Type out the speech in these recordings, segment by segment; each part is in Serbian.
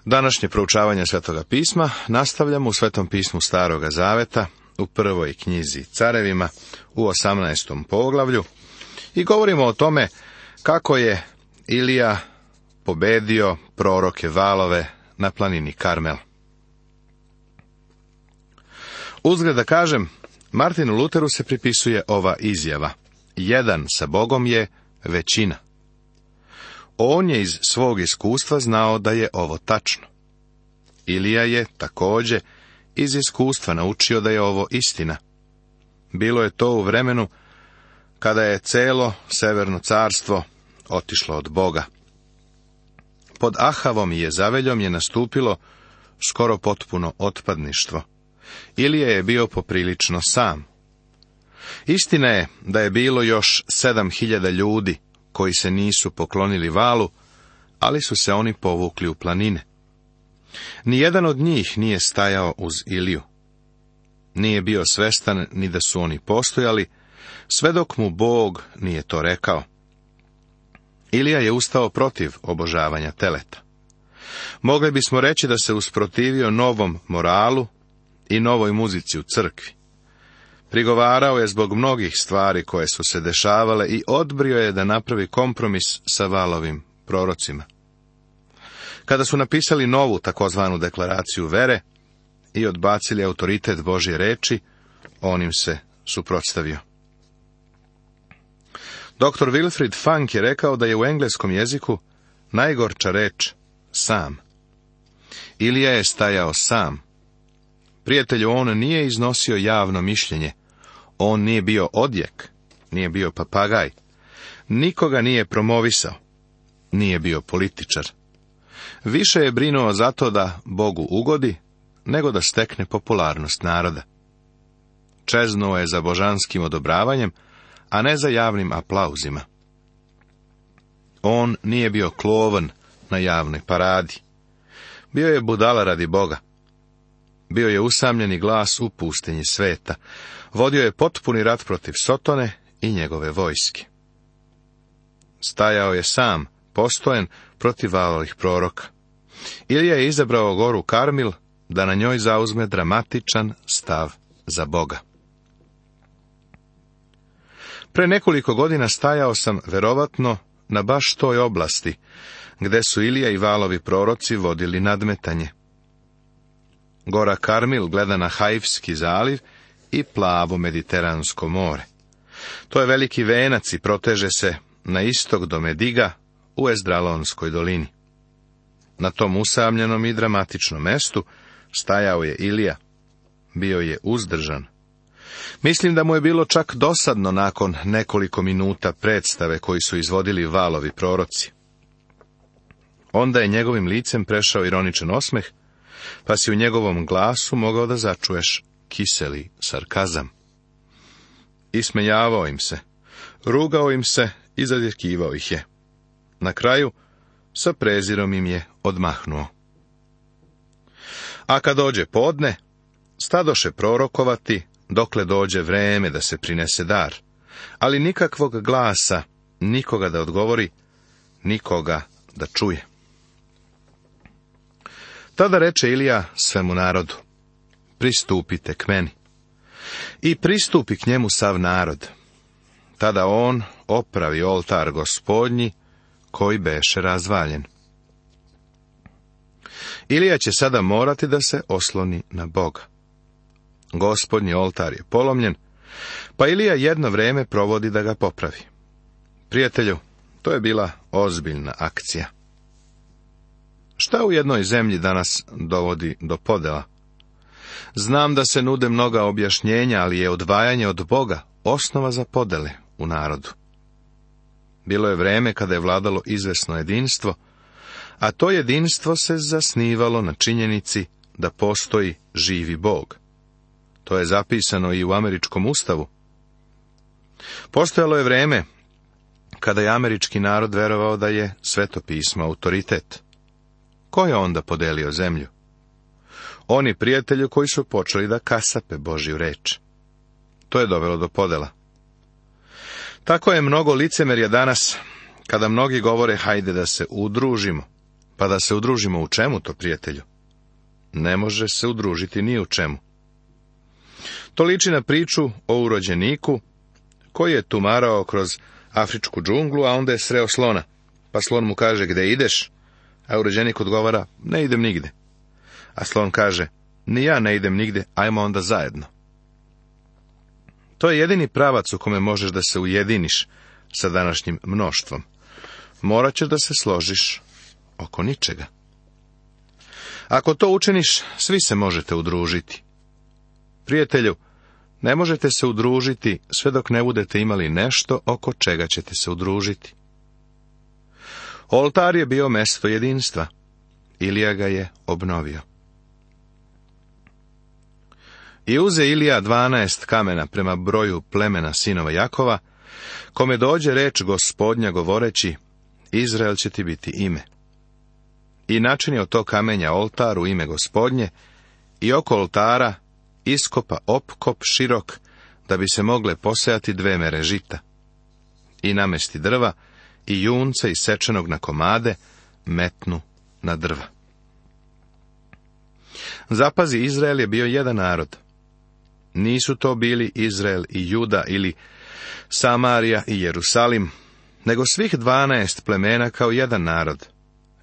Današnje proučavanje Svetoga pisma nastavljamo u Svetom pismu Staroga Zaveta, u prvoj knjizi Carevima, u 18. poglavlju, i govorimo o tome kako je Ilija pobedio proroke Valove na planini Karmel. Uzgred da kažem, Martinu Luteru se pripisuje ova izjava: jedan sa Bogom je većina. On je iz svog iskustva znao da je ovo tačno. Ilija je također iz iskustva naučio da je ovo istina. Bilo je to u vremenu kada je celo Severno carstvo otišlo od Boga. Pod Ahavom i Jezaveljom je nastupilo skoro potpuno otpadništvo. Ilija je bio poprilično sam. Istina je da je bilo još 7.000 ljudi koji se nisu poklonili Valu, ali su se oni povukli u planine. Nijedan od njih nije stajao uz Iliju. Nije bio svestan ni da su oni postojali, sve dok mu Bog nije to rekao. Ilija je ustao protiv obožavanja teleta. Mogli bismo reći da se usprotivio novom moralu i novoj muzici u crkvi. Prigovarao je zbog mnogih stvari koje su se dešavale i odbrio je da napravi kompromis sa Valovim prorocima. Kada su napisali novu takozvanu deklaraciju vere i odbacili autoritet Božje reči, on im se suprotstavio. Dr. Wilfrid Funk je rekao da je u engleskom jeziku najgorča reč sam. Ilija je stajao sam. Prijatelju, on nije iznosio javno mišljenje. On nije bio odjek, nije bio papagaj. Nikoga nije promovisao. Nije bio političar. Više je brinuo za to da Bogu ugodi, nego da stekne popularnost naroda. Čeznuo je za božanskim odobravanjem, a ne za javnim aplauzima. On nije bio klovan na javnoj paradi. Bio je budala radi Boga. Bio je usamljeni glas u pustinji sveta. Vodio je potpuni rat protiv Sotone i njegove vojske. Stajao je sam, postojen protiv Valovih proroka. Ilija je izabrao goru Karmil da na njoj zauzme dramatičan stav za Boga. Pre nekoliko godina stajao sam verovatno na baš toj oblasti, gde su Ilija i Valovi proroci vodili nadmetanje. Gora Karmil gleda na Haifski zaliv i plavo Mediteransko more. To je veliki venac i proteže se na istok do Mediga u Ezdralonskoj dolini. Na tom usamljenom i dramatičnom mestu stajao je Ilija. Bio je uzdržan. Mislim da mu je bilo čak dosadno nakon nekoliko minuta predstave koji su izvodili Valovi proroci. Onda je njegovim licem prešao ironičan osmeh, pa si u njegovom glasu mogao da začuješ kiseli sarkazam. Ismejavao im se, rugao im se i zadjekivao ih je. Na kraju, sa prezirom im je odmahnuo. A kad dođe podne, stadoše prorokovati, dokle dođe vreme da se prinese dar, ali nikakvog glasa, nikoga da odgovori, nikoga da čuje. Tada reče Ilija svemu narodu: pristupite k meni. I pristupi k njemu sav narod. Tada on opravi oltar Gospodnji, koji beše razvaljen. Ilija će sada morati da se osloni na Boga. Gospodnji oltar je polomljen, pa Ilija jedno vreme provodi da ga popravi. Prijatelju, to je bila ozbiljna akcija. Šta u jednoj zemlji danas dovodi do podela? Znam da se nude mnoga objašnjenja, ali je odvajanje od Boga osnova za podele u narodu. Bilo je vreme kada je vladalo izvesno jedinstvo, a to jedinstvo se zasnivalo na činjenici da postoji živi Bog. To je zapisano i u američkom ustavu. Postojalo je vreme kada je američki narod verovao da je Sveto pismo autoritet. Ko je onda podelio zemlju? Oni prijatelji koji su počeli da kasape Božju reč. To je dovelo do podela. Tako je mnogo licemerja danas, kada mnogi govore hajde da se udružimo, Pa da se udružimo u čemu to, prijatelju? Ne može se udružiti ni u čemu. To liči na priču o urođeniku koji je tumarao kroz afričku džunglu, a onda je sreo slona. Pa slon mu kaže, gde ideš? A urođenik odgovara, ne idem nigde. A slon kaže, ni ja ne idem nigde, ajmo onda zajedno. To je jedini pravac u kome možeš da se ujediniš sa današnjim mnoštvom. Morat ćeš da se složiš oko ničega. Ako to učiniš, svi se možete udružiti. Prijatelju, ne možete se udružiti sve dok ne budete imali nešto oko čega ćete se udružiti. Oltar je bio mesto jedinstva. Ilija ga je obnovio. I uze Ilija 12 kamena prema broju plemena sinova Jakova, kome dođe reč Gospodnja govoreći, Izrael će ti biti ime. I načinio od tog kamenja oltar u ime Gospodnje, i oko oltara iskopa opkop širok, da bi se mogle posejati 2 mere žita. I namesti drva, i junca isečenog na komade, metnu na drva. Zapazi, Izrael je bio jedan narod. Nisu to bili Izrael i Juda ili Samarija i Jerusalim, nego svih 12 plemena kao jedan narod,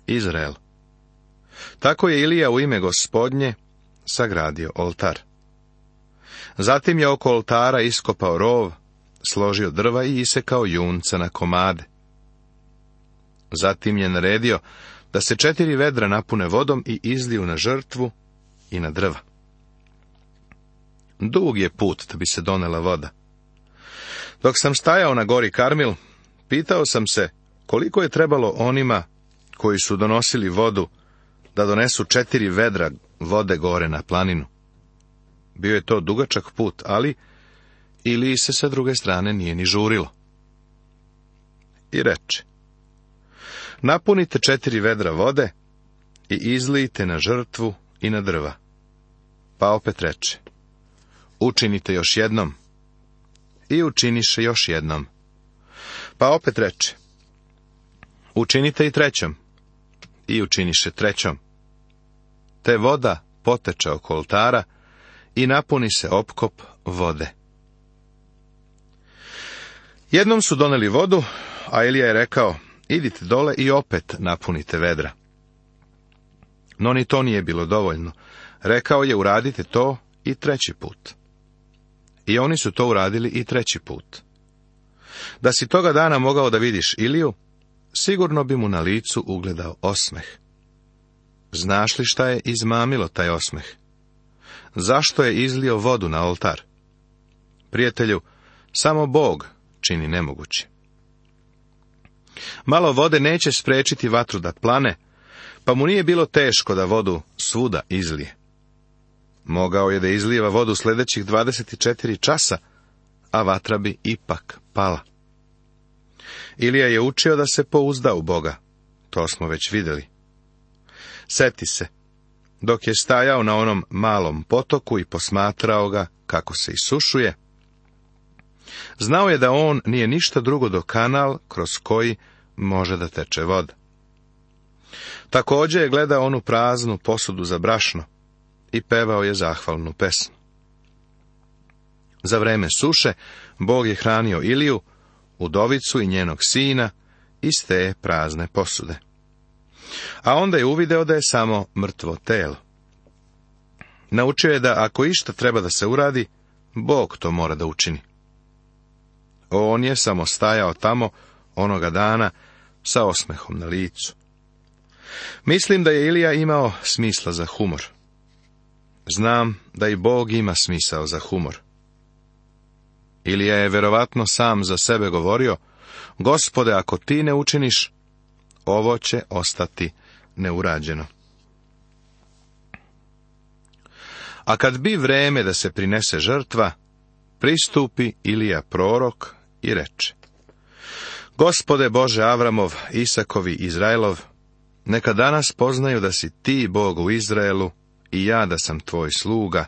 Izrael. Tako je Ilija u ime Gospodnje sagradio oltar. Zatim je oko oltara iskopao rov, složio drva i isekao junca na komade. Zatim je naredio da se 4 vedra napune vodom i izliju na žrtvu i na drva. Dug je put da bi se donela voda. Dok sam stajao na gori Karmil, pitao sam se koliko je trebalo onima koji su donosili vodu da donesu 4 vedra vode gore na planinu. Bio je to dugačak put, ali Iliji se sa druge strane nije ni žurilo. I reče, napunite 4 vedra vode i izlijte na žrtvu i na drva. Pa opet reče, učinite još jednom. I učiniše još jednom. Pa opet reče, učinite i trećom. I učiniše trećom. Te voda poteče oko oltara i napuni se opkop vode. Jednom su doneli vodu, a Ilija je rekao, idite dole i opet napunite vedra. No ni to nije bilo dovoljno. Rekao je, uradite to i 3. put. I oni su to uradili i 3. put. Da si toga dana mogao da vidiš Iliju, sigurno bi mu na licu ugledao osmeh. Znaš li šta je izmamilo taj osmeh? Zašto je izlio vodu na oltar? Prijatelju, samo Bog čini nemoguće. Malo vode neće sprečiti vatru da plane, pa mu nije bilo teško da vodu svuda izlije. Mogao je da izlijeva vodu sljedećih 24 časa, a vatra bi ipak pala. Ilija je učio da se pouzda u Boga, to smo već vidjeli. Seti se, dok je stajao na onom malom potoku i posmatrao ga kako se isušuje, znao je da on nije ništa drugo do kanal kroz koji može da teče voda. Također je gledao onu praznu posudu za brašno i pevao je zahvalnu pesmu. Za vreme suše Bog je hranio Iliju, udovicu i njenog sina iz te prazne posude. A onda je uvideo da je samo mrtvo telo. Naučio je da ako išta treba da se uradi, Bog to mora da učini. On je samo stajao tamo onoga dana sa osmehom na licu. Mislim da je Ilija imao smisla za humor. Znam da i Bog ima smisao za humor. Ilija je verovatno sam za sebe govorio, Gospode, ako ti ne učiniš, ovo će ostati neurađeno. A kad bi vreme da se prinese žrtva, pristupi Ilija prorok i reče, Gospode Bože Avramov, Isakov i Izraelov, neka danas poznaju da si ti Bog u Izraelu i ja da sam tvoj sluga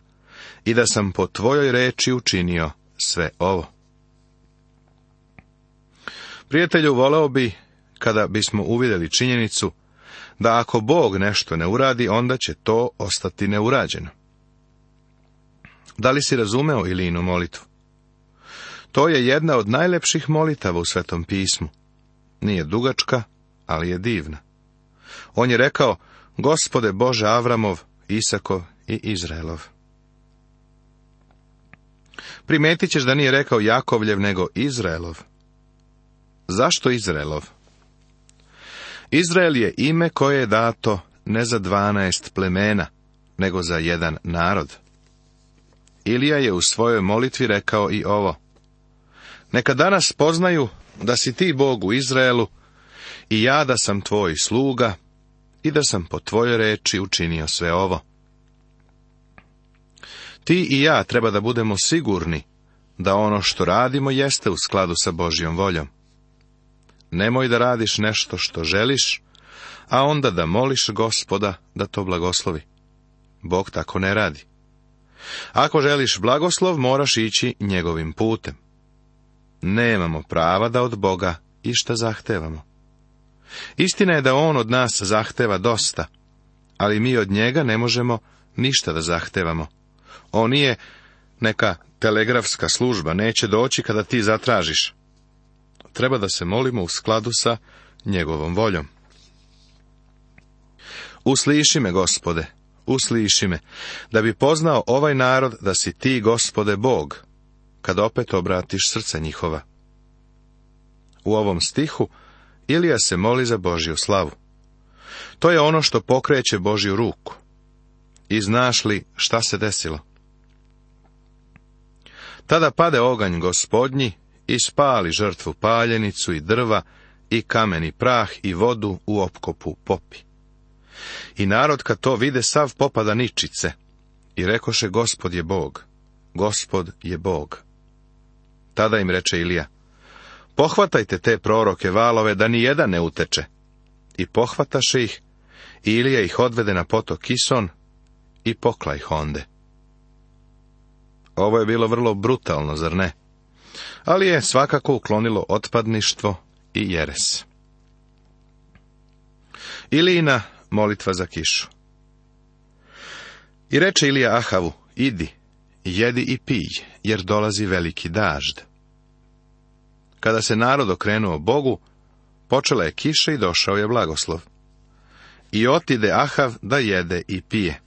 i da sam po tvojoj reči učinio sve ovo. Prijatelju, voleo bi kada bismo uvidjeli činjenicu da ako Bog nešto ne uradi, onda će to ostati neurađeno. Da li si razumeo Ilijinu molitvu? To je jedna od najlepših molitava u Svetom pismu. Nije dugačka, ali je divna. On je rekao: Gospode Bože Avramov, Isakov i Izraelov. Primetit ćeš da nije rekao Jakovljev, nego Izraelov. Zašto Izraelov? Izrael je ime koje je dato ne za 12 plemena, nego za jedan narod. Ilija je u svojoj molitvi rekao i ovo: Neka danas poznaju da si ti Bog u Izraelu i ja da sam tvoj sluga i da sam po tvojoj reči učinio sve ovo. Ti i ja treba da budemo sigurni da ono što radimo jeste u skladu sa Božjom voljom. Nemoj da radiš nešto što želiš, a onda da moliš Gospoda da to blagoslovi. Bog tako ne radi. Ako želiš blagoslov, moraš ići njegovim putem. Nemamo prava da od Boga išta zahtevamo. Istina je da on od nas zahteva dosta, ali mi od njega ne možemo ništa da zahtevamo. On nije neka telegrafska služba, neće doći kada ti zatražiš. Treba da se molimo u skladu sa njegovom voljom. Usliši me, Gospode, usliši me, da bi poznao ovaj narod da si ti, Gospode, Bog, kad opet obratiš srca njihova. U ovom stihu Ilija se moli za Božju slavu. To je ono što pokreće Božju ruku. I znaš li šta se desilo? Tada pade oganj Gospodnji i spali žrtvu paljenicu i drva i kameni prah i vodu u opkopu popi. I narod kad to vide sav popada ničice i rekoše: Gospod je Bog, Gospod je Bog. Tada im reče Ilija: Pohvatajte te proroke valove da ni jedan ne uteče. I pohvataše ih, i Ilija ih odvede na potok Kison i pokla ih onde. Ovo je bilo vrlo brutalno, zar ne? Ali je svakako uklonilo otpadništvo i jeres. Ilijina molitva za kišu. I reče Ilija Ahavu: Idi, jedi i pij, jer dolazi veliki dažd. Kada se narod okrenuo Bogu, počela je kiša i došao je blagoslov. I otide Ahav da jede i pije.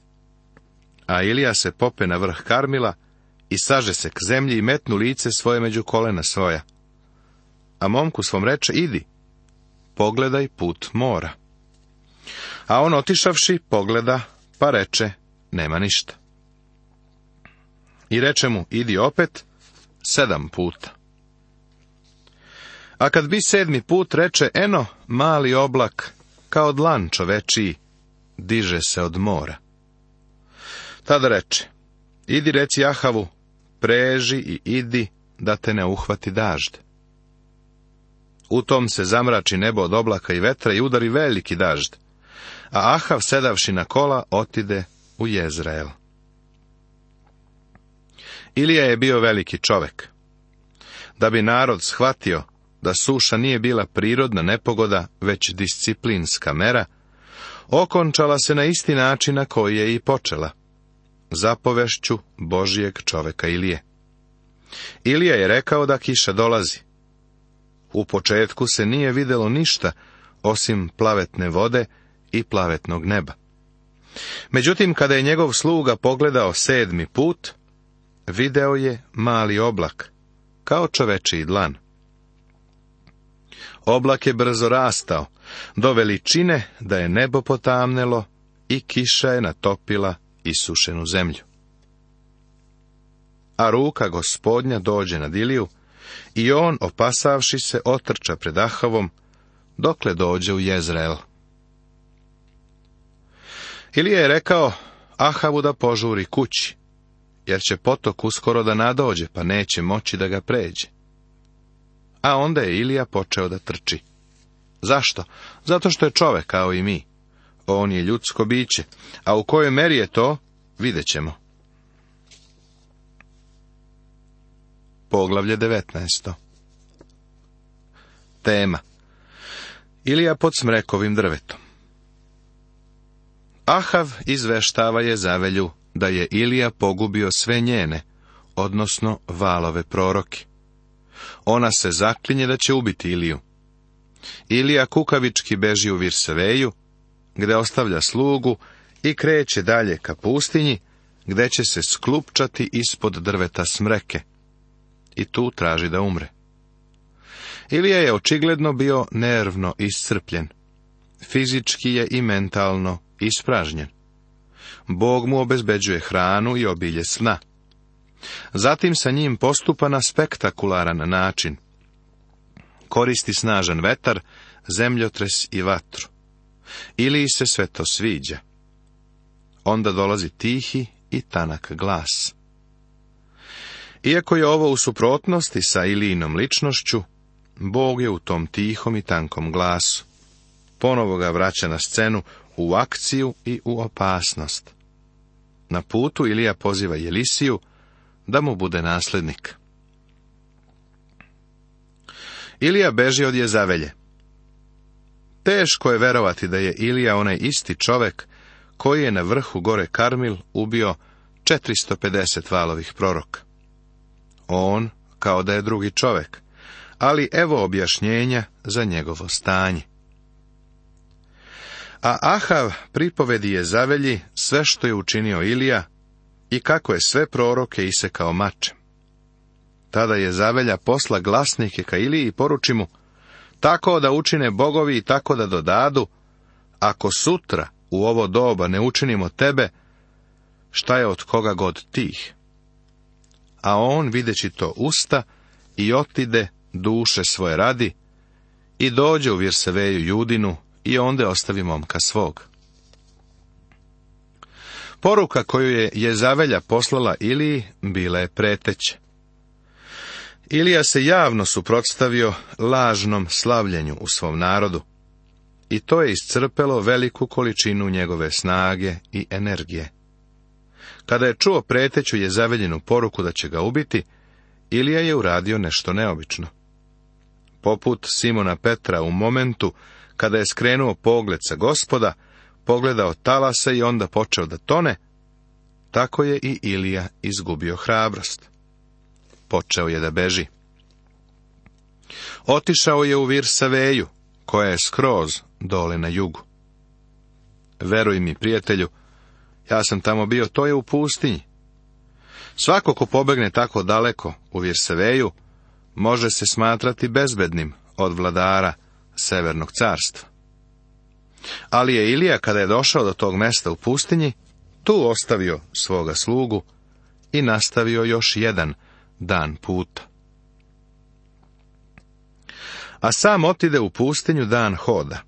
A Ilija se pope na vrh Karmila i saže se k zemlji i metnu lice svoje među kolena svoja. A momku svom reče: Idi, pogledaj put mora. A on otišavši pogleda, pa reče: Nema ništa. I reče mu: Idi opet 7 puta. A kad bi 7. put, reče: Eno, mali oblak, kao dlan čovečiji, diže se od mora. Tada reče: Idi reci Ahavu, preži i idi, da te ne uhvati dažd. U tom se zamrači nebo od oblaka i vetra i udari veliki dažd, a Ahav, sedavši na kola, otide u Jezreel. Ilija je bio veliki čovek. Da bi narod shvatio da suša nije bila prirodna nepogoda, već disciplinska mera, okončala se na isti način na koji je i počela, zapovešću Božijeg čoveka Ilije. Ilija je rekao da kiša dolazi. U početku se nije videlo ništa osim plavetne vode i plavetnog neba. Međutim, kada je njegov sluga pogledao 7. put, video je mali oblak, kao čovečiji dlan. Oblak je brzo rastao, do veličine da je nebo potamnelo i kiša je natopila isušenu zemlju. A ruka Gospodnja dođe nad Iliju i on, opasavši se, otrča pred Ahavom, dokle dođe u Jezreel. Ilija je rekao Ahavu da požuri kući, jer će potok uskoro da nadođe, pa neće moći da ga pređe. A onda je Ilija počeo da trči. Zašto? Zato što je čovek kao i mi. On je ljudsko biće, a u kojoj meri je to, vidjet ćemo. Poglavlje 19. Tema: Ilija pod smrekovim drvetom. Ahav izveštava Jezavelju da je Ilija pogubio sve njene, odnosno Valove proroke. Ona se zaklinje da će ubiti Iliju. Ilija kukavički beži u Virsaveju, gde ostavlja slugu i kreće dalje ka pustinji, gde će se sklupčati ispod drveta smreke. I tu traži da umre. Ilija je očigledno bio nervno iscrpljen. Fizički je i mentalno ispražnjen. Bog mu obezbeđuje hranu i obilje sna. Zatim sa njim postupa na spektakularan način. Koristi snažan vetar, zemljotres i vatru. Iliji se sve to sviđa. Onda dolazi tihi i tanak glas. Iako je ovo u suprotnosti sa Ilijinom ličnošću, Bog je u tom tihom i tankom glasu. Ponovo ga vraća na scenu, u akciju i u opasnost. Na putu Ilija poziva Jelisiju da mu bude naslednik. Ilija beži od Jezavelje. Teško je verovati da je Ilija onaj isti čovek koji je na vrhu gore Karmil ubio 450 Valovih proroka. On kao da je drugi čovek, ali evo objašnjenja za njegovo stanje. A Ahav pripovedi Jezavelji sve što je učinio Ilija i kako je sve proroke isekao mačem. Tada Jezavelja posla glasnike ka Iliji i poruči mu, tako da učine bogovi i tako da dodadu, ako sutra u ovo doba ne učinimo tebe, šta je od koga god tih? A on, videći to, usta i otide duše svoje radi i dođe u Virsaveju Judinu i onda ostavi momka svog. Poruka koju je Jezavelja poslala Iliji bila je preteća. Ilija se javno suprotstavio lažnom slavljenju u svom narodu i to je iscrpelo veliku količinu njegove snage i energije. Kada je čuo preteću Jezaveljinu poruku da će ga ubiti, Ilija je uradio nešto neobično. Poput Simona Petra u momentu kada je skrenuo pogled sa Gospoda, pogledao talasa i onda počeo da tone, tako je i Ilija izgubio hrabrost. Počeo je da beži. Otišao je u Virsaveju, koja je skroz dole na jugu. Veruj mi, prijatelju, ja sam tamo bio, to je u pustinji. Svako ko pobegne tako daleko u Virsaveju, može se smatrati bezbednim od vladara Severnog carstva. Ali je Ilija, kada je došao do tog mesta u pustinji, tu ostavio svoga slugu i nastavio još jedan dan puta. A sam otide u pustinju dan hoda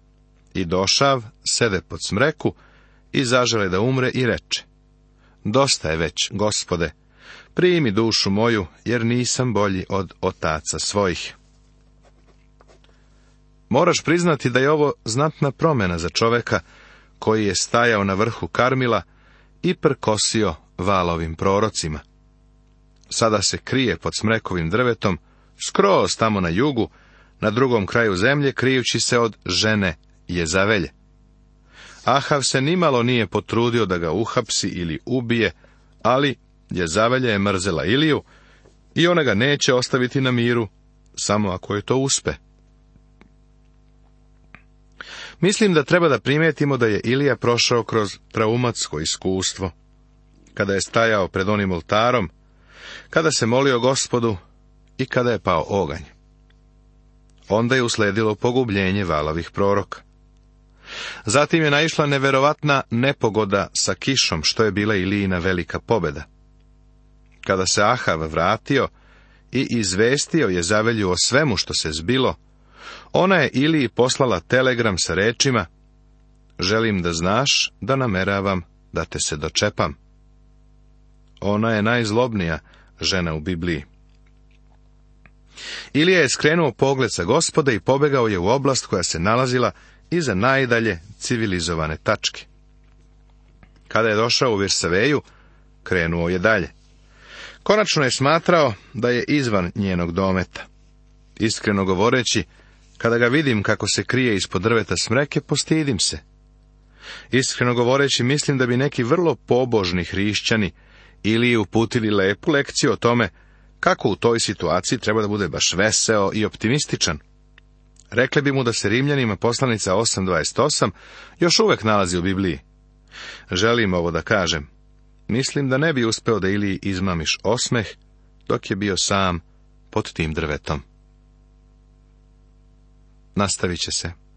i došav, sede pod smreku i zažele da umre i reče, dosta je već, Gospode, primi dušu moju, jer nisam bolji od otaca svojih. Moraš priznati da je ovo znatna promjena za čoveka koji je stajao na vrhu Karmila i prkosio Valovim prorocima. Sada se krije pod smrekovim drvetom, skroz tamo na jugu, na drugom kraju zemlje, krijući se od žene Jezavelje. Ahav se nimalo nije potrudio da ga uhapsi ili ubije, ali Jezavelja je mrzela Iliju i ona ga neće ostaviti na miru, samo ako je to uspe. Mislim da treba da primetimo da je Ilija prošao kroz traumatsko iskustvo, kada je stajao pred onim oltarom, kada se molio Gospodu i kada je pao oganj. Onda je usledilo pogubljenje Valovih proroka. Zatim je naišla neverovatna nepogoda sa kišom, što je bila Ilijina velika pobjeda. Kada se Ahav vratio i izvestio Jezavelju o svemu što se zbilo, ona je Iliji poslala telegram sa rečima, želim da znaš da nameravam da te se dočepam. Ona je najzlobnija žena u Bibliji. Ilija je skrenuo pogled sa Gospoda i pobegao je u oblast koja se nalazila iza najdalje civilizovane tačke. Kada je došao u Virsaveju, krenuo je dalje. Konačno je smatrao da je izvan njenog dometa. Iskreno govoreći, kada ga vidim kako se krije ispod drveta smreke, postidim se. Iskreno govoreći, mislim da bi neki vrlo pobožni hrišćani ili uputili lepu lekciju o tome kako u toj situaciji treba da bude baš veseo i optimističan. Rekli bi mu da se Rimljanima poslanica 8.28 još uvek nalazi u Bibliji. Želim ovo da kažem. Mislim da ne bi uspeo da Iliji izmamiš osmeh dok je bio sam pod tim drvetom. Nastavit će se.